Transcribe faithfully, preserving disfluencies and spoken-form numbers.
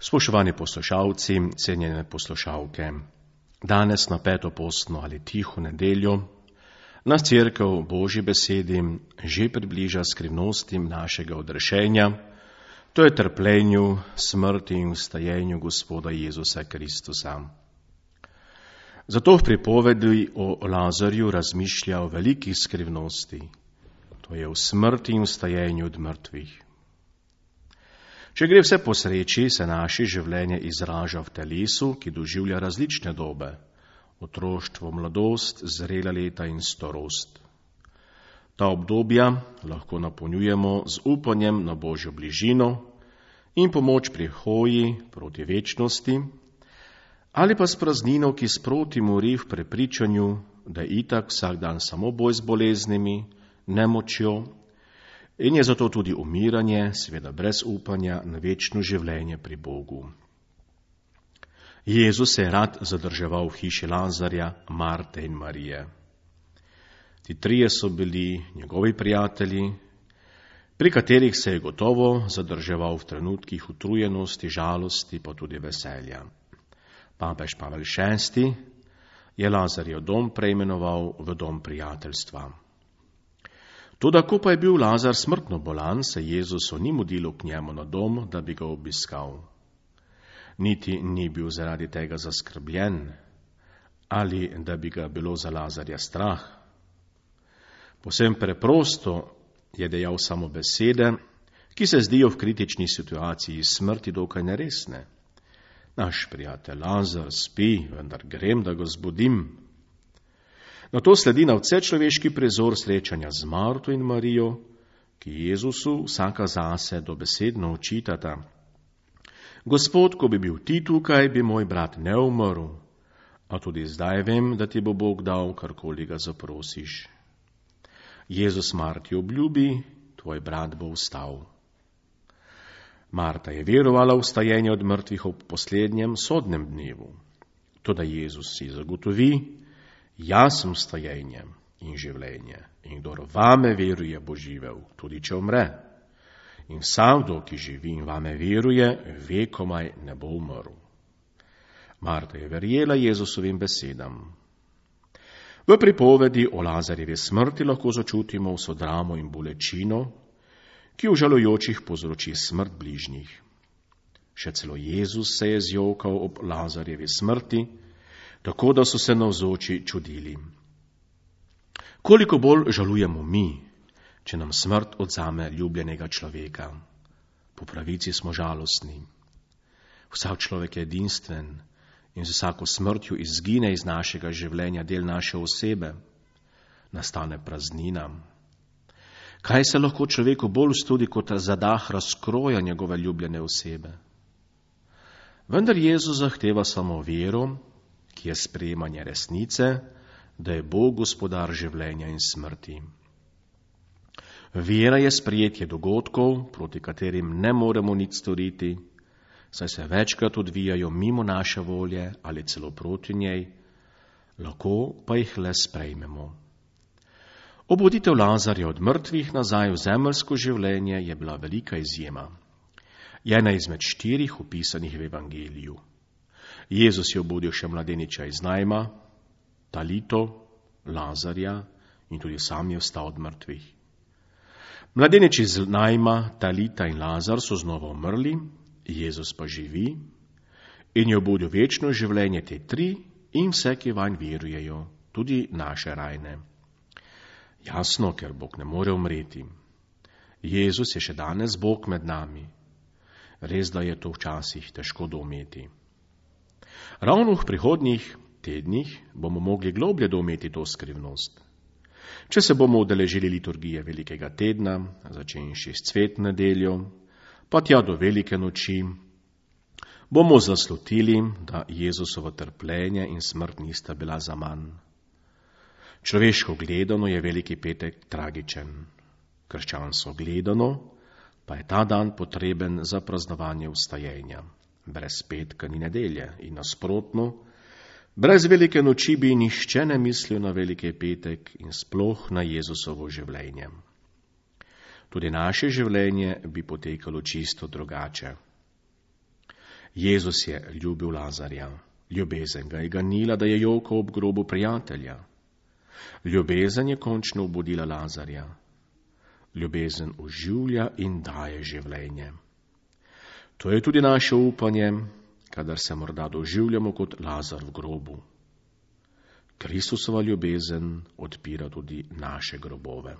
Spoštovani poslušalci, cenjene poslušalke, danes na peto postno ali tiho nedeljo nas Cerkev v Božji besedi že približa skrivnostim našega odrešenja, to je trpljenju, smrti in vstajenju Gospoda Jezusa Kristusa. Zato v pripovedi o Lazarju razmišlja o velikih skrivnosti, to je o smrti in vstajenju od mrtvih. Če gre vse po sreči, se naše življenje izraža v telesu, ki doživlja različne dobe, otroštvo, mladost, zrela leta in starost. Ta obdobja lahko napolnjujemo z upanjem na Božjo bližino in pomoč pri hoji proti večnosti, ali pa s praznino, ki sproti mori v prepričanju, da je itak vsak dan samo boj z boleznimi, nemočjo, in je zato tudi umiranje, seveda brez upanja na večno življenje pri Bogu. Jezus se je rad zadrževal v hiši Lazarja, Marte in Marije. Ti trije so bili njegovi prijatelji, pri katerih se je gotovo zadrževal v trenutkih utrujenosti, žalosti, pa tudi veselja. Papež Pavel šesti je Lazarjev dom preimenoval v dom prijateljstva. Toda, ko pa je bil Lazar smrtno bolan, se Jezusu ni mudilo k njemu na dom, da bi ga obiskal. Niti ni bil zaradi tega zaskrbljen, ali da bi ga bilo za Lazarja strah. Povsem preprosto je dejal samo besede, ki se zdijo v kritični situaciji smrti dokaj neresne. Naš prijatelj Lazar spi, vendar grem, da ga zbudim. Na to sledi na vse človeški prizor srečanja z Marto in Marijo, ki Jezusu vsaka zase dobesedno očitata. Gospod, ko bi bil ti tukaj, bi moj brat ne umrl, a tudi zdaj vem, da ti bo Bog dal, karkoli ga zaprosiš. Jezus Marti obljubi, tvoj brat bo vstal. Marta je verovala v vstajenje od mrtvih ob poslednjem sodnem dnevu. Toda Jezus si zagotovi, jaz sem vstajenje in življenje, in kdor vame veruje, bo živel, tudi če umre. In vsakdo, ki živi in vame veruje, vekomaj ne bo umrl. Marta je verjela Jezusovim besedam. V pripovedi o Lazarjevi smrti lahko začutimo vso dramo in bolečino, ki v žalujočih povzroči smrt bližnjih. Še celo Jezus se je zjokal ob Lazarjevi smrti, tako da so se navzoči čudili. Koliko bolj žalujemo mi, če nam smrt odzame ljubljenega človeka. Po pravici smo žalostni. Vsak človek je edinstven in z vsako smrtjo izgine iz našega življenja del naše osebe. Nastane praznina. Kaj se lahko človeku bolj studi kot zadah razkroja njegove ljubljene osebe? Vendar Jezus zahteva samo vero, ki je sprejemanje resnice, da je Bog gospodar življenja in smrti. Vera je sprejetje dogodkov, proti katerim ne moremo nič storiti, saj se večkrat odvijajo mimo naše volje ali celo proti njej, lahko pa jih le sprejmemo. Obuditev Lazarja od mrtvih nazaj v zemeljsko življenje je bila velika izjema. Je ena izmed štirih opisanih v Evangeliju. Jezus je obudil še mladeniča iz Najma, Talito, Lazarja in tudi sam je vstal od mrtvih. Mladenič iz Najma, Talita in Lazar so znova umrli, Jezus pa živi in je obudil večno življenje te tri in vse, ki vanj verujejo, tudi naše rajne. Jasno, ker Bog ne more umreti. Jezus je še danes Bog med nami. Res, da je to včasih težko doumeti. Ravno v prihodnjih tednih bomo mogli globlje doumeti to skrivnost. Če se bomo udeležili liturgije velikega tedna, začenši s cvetno nedeljo, pa tja do velike noči, bomo zaslutili, da Jezusovo trpljenje in smrt nista bila zaman. Človeško gledano je veliki petek tragičen. Krščansko gledano pa je ta dan potreben za praznovanje vstajenja. Brez petka ni nedelje in nasprotno, brez velike noči bi nihče ne mislil na veliki petek in sploh na Jezusovo življenje. Tudi naše življenje bi potekalo čisto drugače. Jezus je ljubil Lazarja. Ljubezen ga je ganila, da je jokal ob grobu prijatelja. Ljubezen je končno obudila Lazarja. Ljubezen oživlja in daje življenje. To je tudi naše upanje, kadar se morda doživljamo kot Lazar v grobu. Kristusova ljubezen odpira tudi naše grobove.